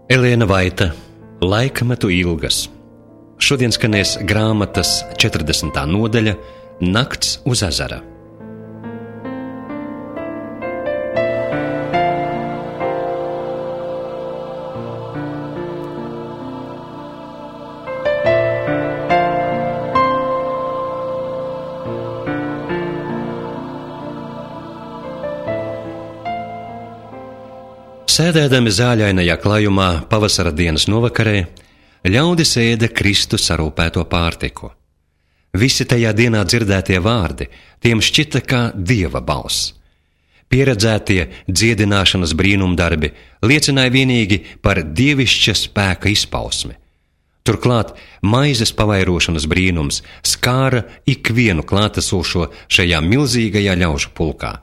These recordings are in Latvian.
Elēna Vaita, Laikmetu ilgas. Šodien skanēs grāmatas 40. nodaļa Nakts uz ezera. Sēdēdami zāļainajā klājumā pavasara dienas novakarē, ļaudis ēda Kristu sarūpēto pārtiku. Visi tajā dienā dzirdētie vārdi, tiem šķita kā Dieva balss. Pieredzētie dziedināšanas brīnumdarbi liecināja vienīgi par dievišķa spēka izpausmi. Turklāt maizes pavairošanas brīnums skāra ikvienu klātesošo šajā milzīgajā ļaužu pulkā.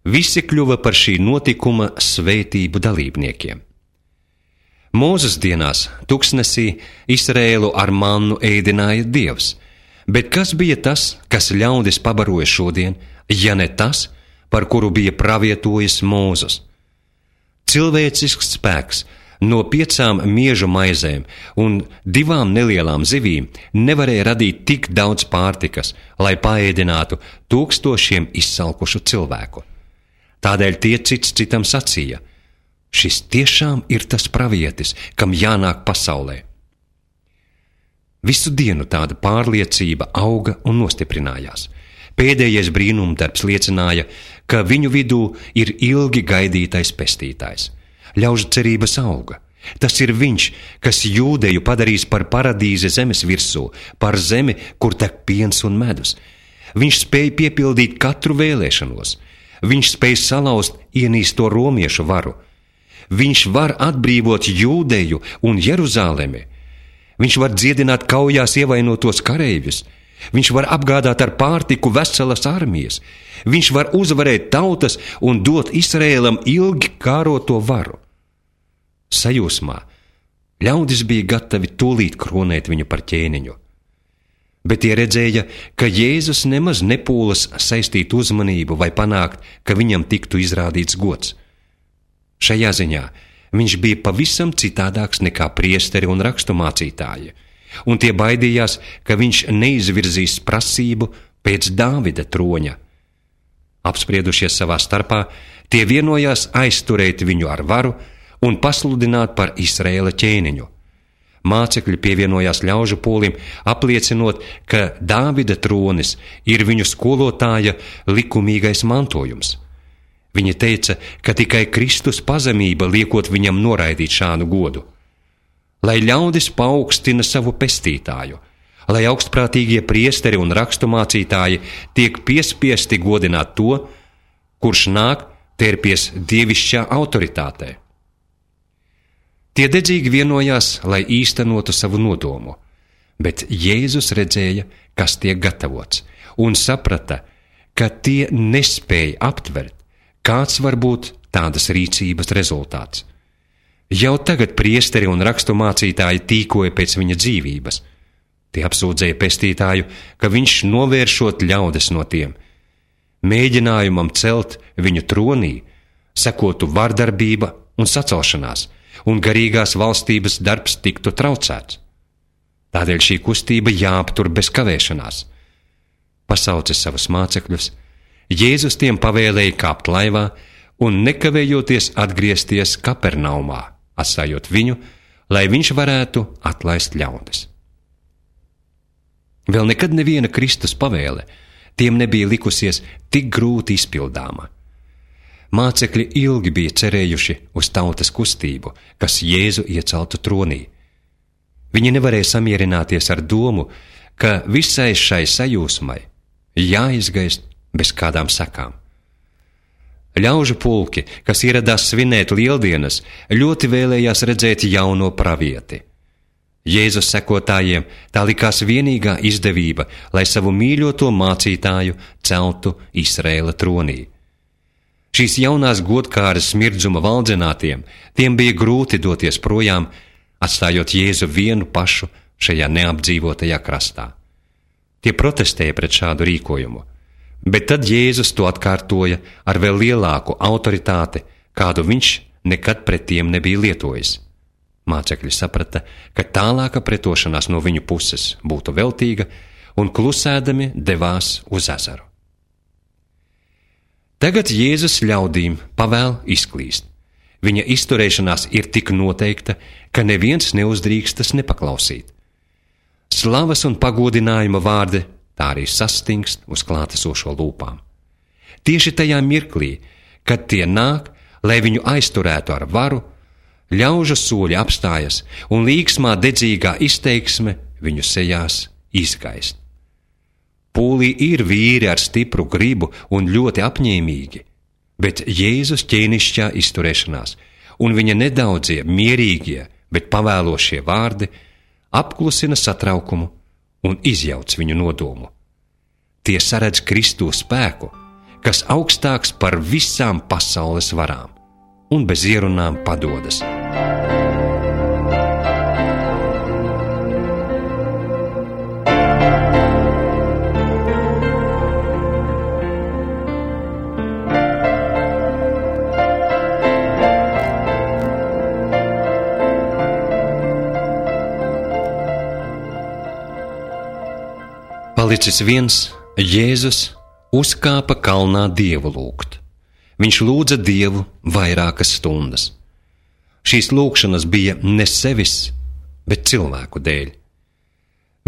Visi kļuva par šī notikuma svētību dalībniekiem. Mūzes dienās tuksnesī Izraēlu ar mannu ēdināja Dievs, bet kas bija tas, kas ļaudis pabaroja šodien, ja ne tas, par kuru bija pravietojis Mūzes? Cilvēcisks spēks no 5 miežu maizēm un 2 nelielām zivīm nevarēja radīt tik daudz pārtikas, lai paēdinātu 1000 izsalkušu cilvēku. Tādēļ tie cits citam sacīja: šis tiešām ir tas pravietis, kam jānāk pasaulē. Visu dienu tāda pārliecība auga un nostiprinājās. Pēdējais brīnumdarbs liecināja, ka viņu vidū ir ilgi gaidītais pestītājs. Ļaužu cerības auga. Tas ir viņš, kas Jūdeju padarīs par paradīzi zemes virsū, par zemi, kur tek piens un medus. Viņš spēja piepildīt katru vēlēšanos. Viņš spēj salauzt ienīsto romiešu varu. Viņš var atbrīvot Jūdeju un Jeruzalemi. Viņš var dziedināt kaujās ievainotos kareivjus. Viņš var apgādāt ar pārtiku veselas armijas. Viņš var uzvarēt tautas un dot Izraēlam ilgi kāroto varu. Sajūsmā ļaudis bija gatavi tūlīt kronēt viņu par ķēniņu. Bet tie redzēja, ka Jēzus nemaz nepūlas saistīt uzmanību vai panākt, ka viņam tiktu izrādīts gods. Šajā ziņā viņš bija pavisam citādāks nekā priesteri un raksturmācītāji, un tie baidījās, ka viņš neizvirzīs prasību pēc Dāvida troņa. Apspriedušies savā starpā, tie vienojās aizturēt viņu ar varu un pasludināt par Izraēla ķēniņu. Mācekļi pievienojās ļaužu pūlim, apliecinot, ka Dāvida tronis ir viņu skolotāja likumīgais mantojums. Viņi teica, ka tikai Kristus pazemība liekot viņam noraidīt šādu godu. Lai ļaudis paaugstina savu pestītāju, lai augstprātīgie priesteri un raksturmācītāji tiek piespiesti godināt to, kurš nāk tērpies dievišķā autoritātē. Tie dedzīgi vienojās, lai īstenotu savu nodomu, bet Jēzus redzēja, kas tiek gatavots, un saprata, ka tie nespēja aptvert, kāds var būt tādas rīcības rezultāts. Jau tagad priesteri un raksturmācītāji tīkoja pēc viņa dzīvības. Tie apsūdzēja pestītāju, ka viņš novēršot ļaudis no tiem. Mēģinājumam celt viņu tronī sekotu vardarbība un sacelšanās, un garīgās valstības darbs tiktu traucēts. Tādēļ šī kustība jāaptur bez kavēšanās. Pasaucis savus mācekļus, Jēzus tiem pavēlēja kāpt laivā un nekavējoties atgriezties Kapernaumā, atstājot viņu, lai viņš varētu atlaist ļaudis. Vēl nekad neviena Kristus pavēle tiem nebija likusies tik grūti izpildāma. Mācekļi ilgi bija cerējuši uz tautas kustību, kas Jēzu ieceltu tronī. Viņi nevarēja samierināties ar domu, ka visai šai sajūsmai jāizgaist bez kādām sekām. Ļaužu pulki, kas ieradās svinēt lieldienas, ļoti vēlējās redzēt jauno pravieti. Jēzus sekotājiem tā likās vienīgā izdevība, lai savu mīļoto mācītāju celtu Izraēla tronī. Šīs jaunās godkāras smirdzuma valdzinātiem, tiem bija grūti doties projām, atstājot Jēzu vienu pašu šajā neapdzīvotajā krastā. Tie protestēja pret šādu rīkojumu, bet tad Jēzus to atkārtoja ar vēl lielāku autoritāti, kādu viņš nekad pret tiem nebija lietojis. Mācekļi saprata, ka tālāka pretošanās no viņu puses būtu veltīga, un klusēdami devās uz ezeru. Tagad Jēzus ļaudīm pavēl izklīst. Viņa izturēšanās ir tik noteikta, ka neviens neuzdrīkstas nepaklausīt. Slavas un pagodinājuma vārdi tā arī sastingst uz klātesošo lūpām. Tieši tajā mirklī, kad tie nāk, lai viņu aizturētu ar varu, ļaužu soļi apstājas un līksmā dedzīgā izteiksme viņu sejās izgaist. Pūlī ir vīri ar stipru gribu un ļoti apņēmīgi, bet Jēzus ķēnišķā izturēšanās un viņa nedaudzie, mierīgie, bet pavēlošie vārdi apklusina satraukumu un izjauc viņu nodomu. Tie saredz Kristu spēku, kas augstāks par visām pasaules varām un bez ierunām padodas. Palicis viens, Jēzus uzkāpa kalnā Dievu lūgt. Viņš lūdza Dievu vairākas stundas. Šīs lūgšanas bija ne sevis, bet cilvēku dēļ.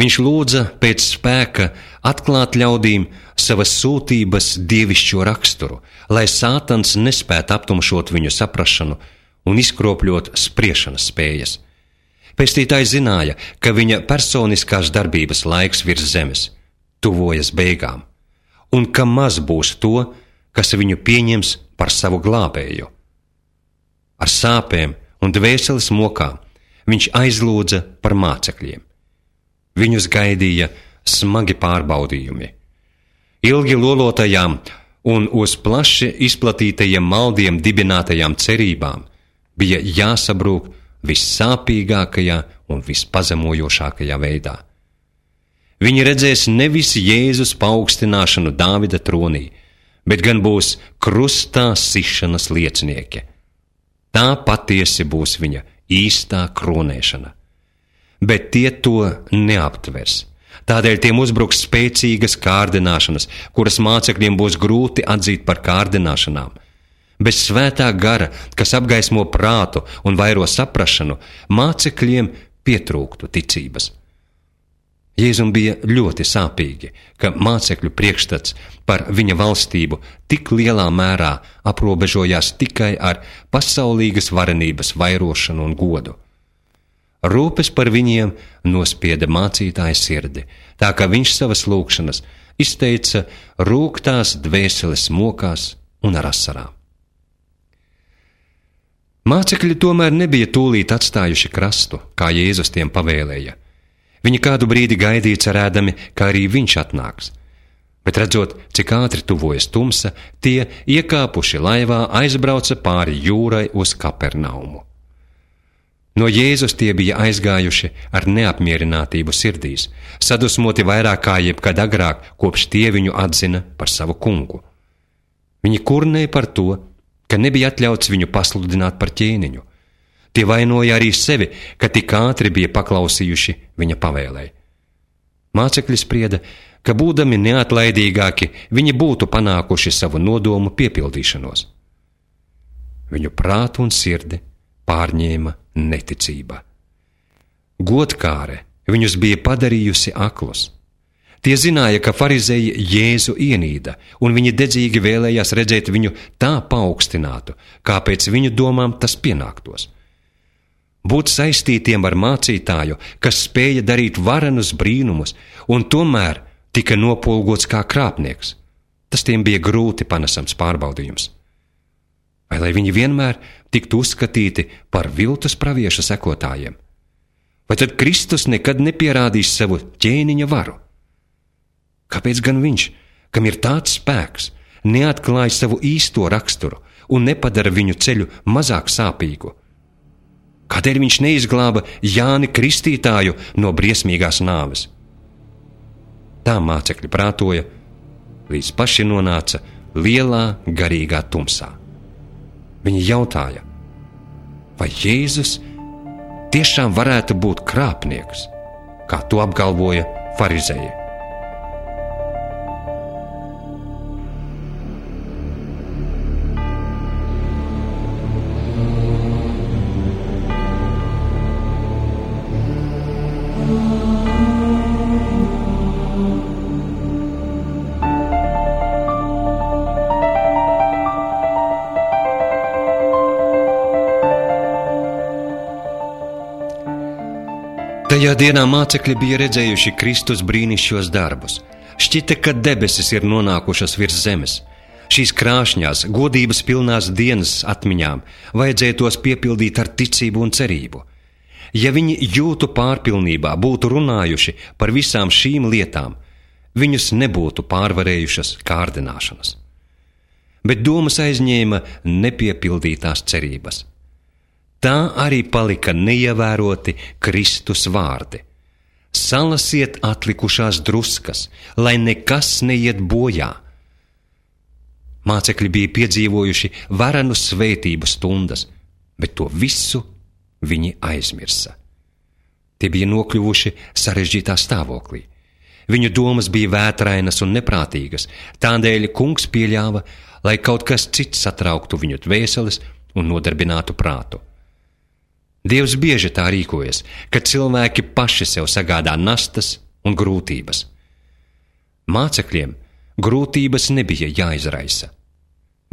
Viņš lūdza pēc spēka atklāt ļaudīm savas sūtības dievišķo raksturu, lai Sātans nespētu aptumšot viņu saprašanu un izkropļot spriešanas spējas. Pestītājs zināja, ka viņa personiskās darbības laiks virs zemes tuvojas beigām, un ka maz būs to, kas viņu pieņems par savu glābēju. Ar sāpēm un dvēseles mokām viņš aizlūdza par mācekļiem. Viņus gaidīja smagi pārbaudījumi. Ilgi lolotajām un uz plaši izplatītajiem maldiem dibinātajām cerībām bija jāsabrūk vissāpīgākajā un vispazemojošākajā veidā. Viņi redzēs nevis Jēzus paaugstināšanu Dāvida tronī, bet gan būs krustā sišanas liecinieki. Tā patiesi būs viņa īstā kronēšana. Bet tie to neaptvers. Tādēļ tiem uzbruks spēcīgas kārdināšanas, kuras mācekļiem būs grūti atzīt par kārdināšanām. Bez svētā gara, kas apgaismo prātu un vairo saprašanu, mācekļiem pietrūktu ticības. Jēzum bija ļoti sāpīgi, ka mācekļu priekšstats par viņa valstību tik lielā mērā aprobežojās tikai ar pasaulīgas varenības vairošanu un godu. Rūpes par viņiem nospieda mācītāja sirdi, tā ka viņš savas lūgšanas izteica rūgtās dvēseles mokās un ar asarām. Mācekļi tomēr nebija tūlīt atstājuši krastu, kā Jēzus tiem pavēlēja. Viņi kādu brīdi gaidīja cerēdami, ka arī viņš atnāks. Bet redzot, cik ātri tuvojas tumsa, tie, iekāpuši laivā, aizbrauca pāri jūrai uz Kapernaumu. No Jēzus tie bija aizgājuši ar neapmierinātību sirdīs, sadusmoti vairāk kā jebkad agrāk, kopš tie viņu atzina par savu kungu. Viņi kurnēja par to, ka nebija atļauts viņu pasludināt par ķēniņu. Tie vainoja arī sevi, ka tik ātri bija paklausījuši viņa pavēlei. Mācekļi sprieda, ka būdami neatlaidīgāki, viņi būtu panākuši savu nodomu piepildīšanos. Viņu prātu un sirdi pārņēma neticība. Godkāre viņus bija padarījusi aklus. Tie zināja, ka farizeji Jēzu ienīda, un viņi dedzīgi vēlējās redzēt viņu tā paaugstinātu, kā pēc viņu domām tas pienāktos. Būt saistītiem ar mācītāju, kas spēja darīt varenus brīnumus, un tomēr tika nopolgots kā krāpnieks. Tas tiem bija grūti panesams pārbaudījums. Vai lai viņi vienmēr tiktu uzskatīti par viltus pravieša sekotājiem? Vai tad Kristus nekad nepierādīs savu ķēniņa varu? Kāpēc gan viņš, kam ir tāds spēks, neatklāja savu īsto raksturu un nepadara viņu ceļu mazāk sāpīgu? Kādēļ viņš neizglāba Jāni Kristītāju no briesmīgās nāves? Tā mācekļi prātoja, līdz paši nonāca lielā garīgā tumsā. Viņi jautāja, vai Jēzus tiešām varētu būt krāpnieks, kā to apgalvoja farizeji. Tajā dienā mācekļi bija redzējuši Kristus brīnišķos darbus. Šķita, ka debesis ir nonākušas virs zemes. Šīs krāšņās, godības pilnās dienas atmiņām vajadzēja tos piepildīt ar ticību un cerību. Ja viņi jūtu pārpilnībā būtu runājuši par visām šīm lietām, viņus nebūtu pārvarējušas kārdināšanas. Bet domas aizņēma nepiepildītās cerības. Tā arī palika neievēroti Kristus vārdi. Salasiet atlikušās druskas, lai nekas neiet bojā. Mācekļi bija piedzīvojuši varenu svētību stundas, bet to visu viņi aizmirsa. Tie bija nokļuvuši sarežģītā stāvoklī. Viņu domas bija vētrainas un neprātīgas, tādēļ kungs pieļāva, lai kaut kas cits satrauktu viņu dvēseles un nodarbinātu prātu. Dievs bieži tā rīkojas, kad cilvēki paši sev sagādā nastas un grūtības. Mācekļiem grūtības nebija jāizraisa.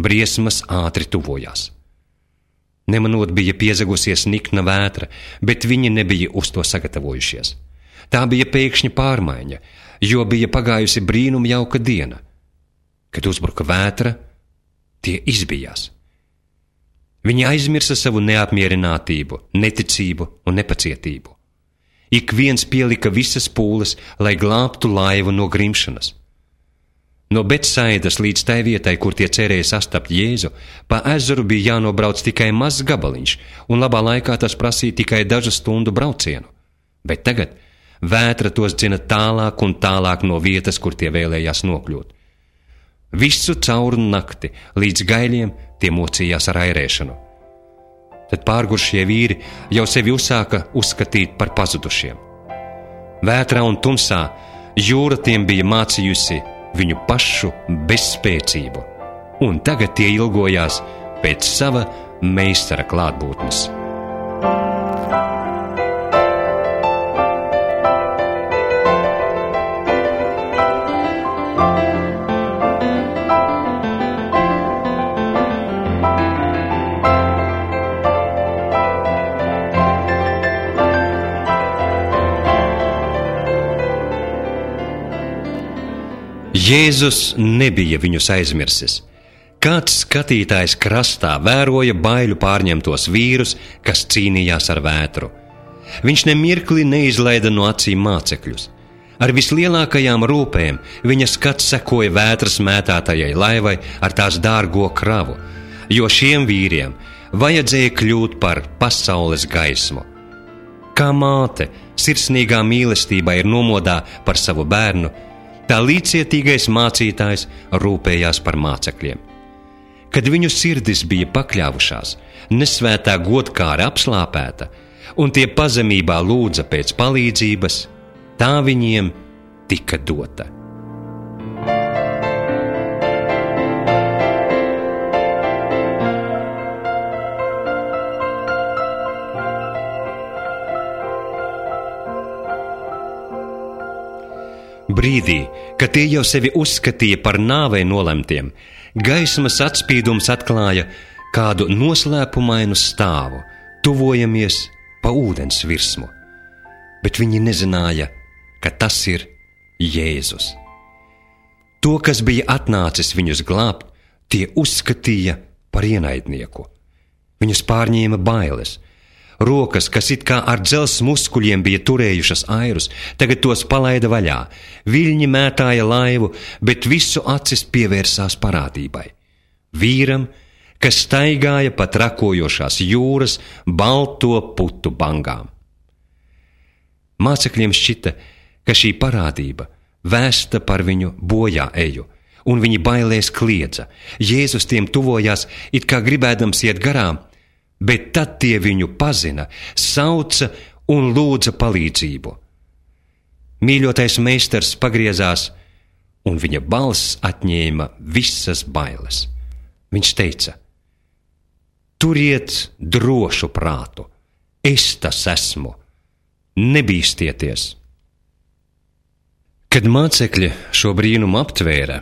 Briesmas ātri tuvojās. Nemanot bija piezagusies nikna vētra, bet viņi nebija uz to sagatavojušies. Tā bija pēkšņa pārmaiņa, jo bija pagājusi brīnumjauka diena. Kad uzbruka vētra, tie izbijās. Viņi aizmirsa savu neapmierinātību, neticību un nepacietību. Ik viens pielika visas pūles, lai glābtu laivu no grimšanas. No Betsaidas līdz tai vietai, kur tie cerēja sastapt Jēzu, pa ezeru bija jānobrauc tikai mazs gabaliņš, un labā laikā tas prasīja tikai dažu stundu braucienu. Bet tagad vētra tos dzina tālāk un tālāk no vietas, kur tie vēlējās nokļūt. Visu cauru nakti līdz gaiļiem tie mocījās ar airēšanu. Tad pārgušie vīri jau sevi uzsāka uzskatīt par pazudušiem. Vētrā un tumsā jūra tiem bija mācījusi viņu pašu bezspēcību, un tagad tie ilgojās pēc sava meistara klātbūtnes. Jēzus nebija viņus aizmirsis. Kāds skatītājs krastā vēroja baiļu pārņemtos vīrus, kas cīnījās ar vētru. Viņš nemirkli neizlaida no acīm mācekļus. Ar vislielākajām rūpēm viņa skats sekoja vētras mētātajai laivai ar tās dārgo kravu, jo šiem vīriem vajadzēja kļūt par pasaules gaismu. Kā māte sirsnīgā mīlestībā ir nomodā par savu bērnu, tā līdzcietīgais mācītājs rūpējās par mācekļiem. Kad viņu sirdis bija pakļāvušās, nesvētā godkāra apslāpēta, un tie pazemībā lūdza pēc palīdzības, tā viņiem tika dota. Brīdī, kad tie jau sevi uzskatīja par nāvei nolemtiem, gaismas atspīdums atklāja kādu noslēpumainu stāvu, tuvojamies pa ūdens virsmu. Bet viņi nezināja, ka tas ir Jēzus. To, kas bija atnācis viņus glābt, tie uzskatīja par ienaidnieku. Viņus pārņēma bailes. Rokas, kas it kā ar dzelzs muskuļiem bija turējušas airus, tagad tos palaida vaļā. Viļņi mētāja laivu, bet visu acis pievērsās parādībai. Vīram, kas staigāja pa trakojošās jūras balto putu bangām. Mācekļiem šķita, ka šī parādība vēsta par viņu bojā eju, un viņi bailēs kliedza. Jēzus tiem tuvojās, it kā gribēdams iet garām, bet tad tie viņu pazina, sauca un lūdza palīdzību. Mīļotais meistars pagriezās, un viņa balss atņēma visas bailes. Viņš teica: turiet drošu prātu, es tas esmu, nebīstieties. Kad mācekļi šo brīnumu aptvēra,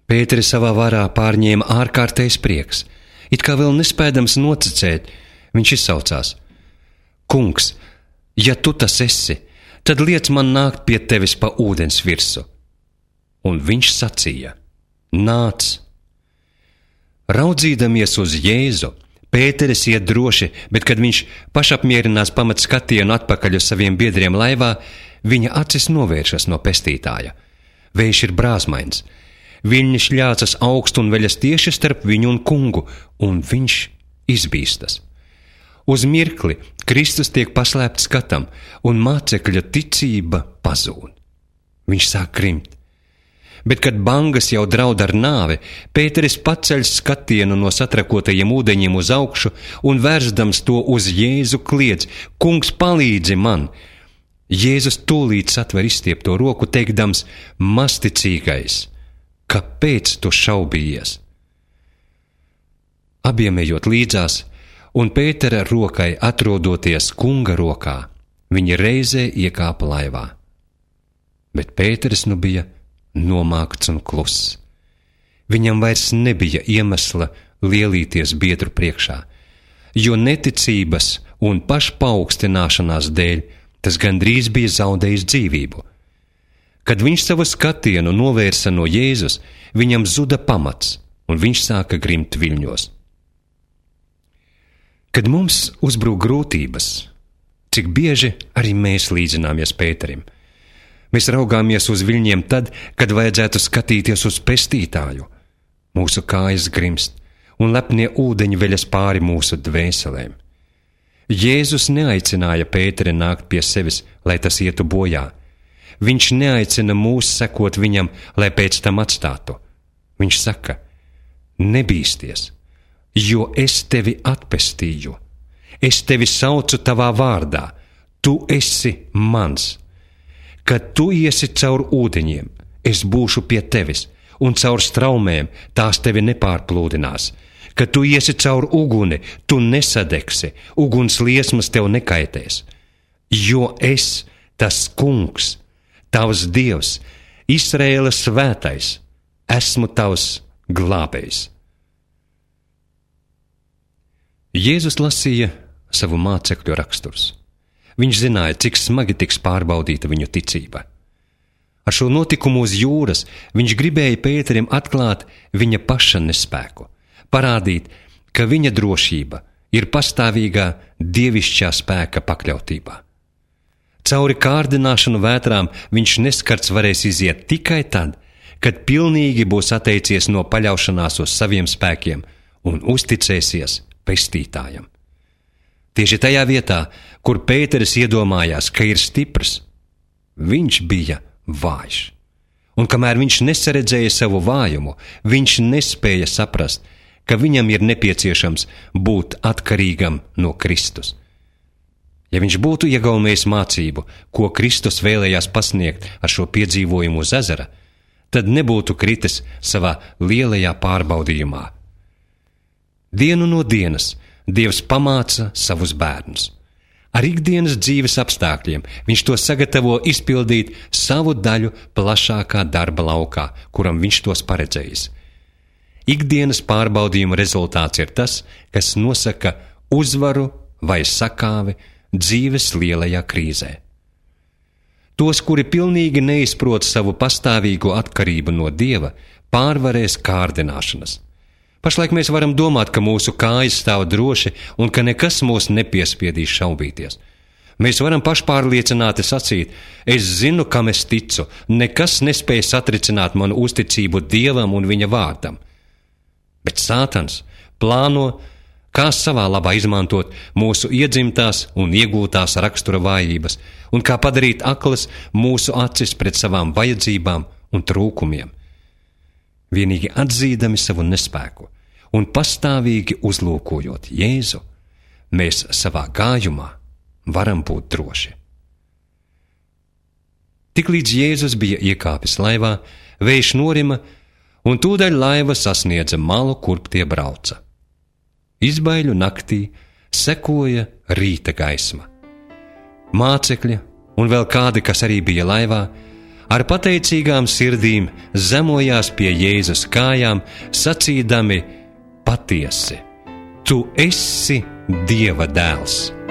Pēteri savā varā pārņēma ārkārtējs prieks. It kā vēl nespēdams noticēt, viņš izsaucās: Kungs, ja tu tas esi, tad liec man nākt pie tevis pa ūdens virsu. Un viņš sacīja: nāc! Raudzīdamies uz Jēzu, Pēteris iet droši, bet kad viņš pašapmierinās pamat skatienu atpakaļ uz saviem biedriem laivā, viņa acis novēršas no pestītāja. Vējš ir brāzmains. Viņi šļācas augstu un veļas tieši starp viņu un kungu, un viņš izbīstas. Uz mirkli Kristus tiek paslēpts skatam, un mācekļa ticība pazūd. Viņš sāk krimt. Bet, kad bangas jau draud ar nāvi, Pēteris paceļ skatienu no satrakotajiem ūdeņiem uz augšu un vērzdams to uz Jēzu kliedz: Kungs, palīdzi man! Jēzus tūlīt satver izstiepto roku, teikdams: Mazticīgais, kāpēc tu šaubījies? Abiem ejot līdzās, un Pētera rokai atrodoties kunga rokā, viņi reizē iekāpa laivā. Bet Pēteris nu bija nomākts un kluss. Viņam vairs nebija iemesla lielīties biedru priekšā, jo neticības un pašpaaugstināšanās dēļ tas gandrīz bija zaudējis dzīvību. Kad viņš savu skatienu novērsa no Jēzus, viņam zuda pamats, un viņš sāka grimt viļņos. Kad mums uzbrūk grūtības, cik bieži arī mēs līdzināmies Pēterim? Mēs raugāmies uz viļņiem tad, kad vajadzētu skatīties uz pestītāju. Mūsu kājas grimst, un lepnie ūdeņi veļas pāri mūsu dvēselēm. Jēzus neaicināja Pēteri nākt pie sevis, lai tas ietu bojā. Viņš neaicina mūs sekot viņam, lai pēc tam atstātu. Viņš saka: nebīsties, jo es tevi atpestīju. Es tevi saucu tavā vārdā. Tu esi mans. Kad tu iesi caur ūdeņiem, es būšu pie tevis, un caur straumēm tās tevi nepārplūdinās. Kad tu iesi caur uguni, tu nesadegsi, uguns liesmas tev nekaitēs. Jo es, tas kungs, tavs Dievs, Izraēla svētais, esmu tavs glābējs. Jēzus lasīja savu mācekļu raksturs. Viņš zināja, cik smagi tiks pārbaudīta viņu ticība. Ar šo notikumu uz jūras viņš gribēja Pēterim atklāt viņa paša nespēku, parādīt, ka viņa drošība ir pastāvīgā dievišķā spēka pakļautībā. Cauri kārdināšanu vētrām viņš neskarts varēs iziet tikai tad, kad pilnīgi būs atteicies no paļaušanās uz saviem spēkiem un uzticēsies pestītājam. Tieši tajā vietā, kur Pēteris iedomājās, ka ir stiprs, viņš bija vājš. Un kamēr viņš nesaredzēja savu vājumu, viņš nespēja saprast, ka viņam ir nepieciešams būt atkarīgam no Kristus. Ja viņš būtu iegaumējis mācību, ko Kristus vēlējās pasniegt ar šo piedzīvojumu uz ezera, tad nebūtu kritis savā lielajā pārbaudījumā. Dienu no dienas Dievs pamāca savus bērnus. Ar ikdienas dzīves apstākļiem viņš to sagatavo izpildīt savu daļu plašākā darba laukā, kuram viņš tos paredzējis. Ikdienas pārbaudījuma rezultāts ir tas, kas nosaka uzvaru vai sakāvi dzīves lielajā krīzē. Tos, kuri pilnīgi neizprot savu pastāvīgo atkarību no Dieva, pārvarēs kārdināšanas. Pašlaik mēs varam domāt, ka mūsu kājas stāv droši un ka nekas mūs nepiespiedīs šaubīties. Mēs varam pašpārliecināti sacīt: es zinu, kam es ticu, nekas nespēj satricināt manu uzticību Dievam un viņa vārdam. Bet Sātans plāno, kā savā labā izmantot mūsu iedzimtās un iegūtās rakstura vājības, un kā padarīt aklas mūsu acis pret savām vajadzībām un trūkumiem. Vienīgi atzīdami savu nespēku un pastāvīgi uzlūkojot Jēzu, mēs savā gājumā varam būt droši. Tiklīdz Jēzus bija iekāpis laivā, vējš norima, un tūdaļ laiva sasniedza malu, kurp tie brauca. Izbaiļu naktī sekoja rīta gaisma. Mācekļi un vēl kādi, kas arī bija laivā, ar pateicīgām sirdīm zemojās pie Jēzus kājām, sacīdami: patiesi, tu esi Dieva dēls!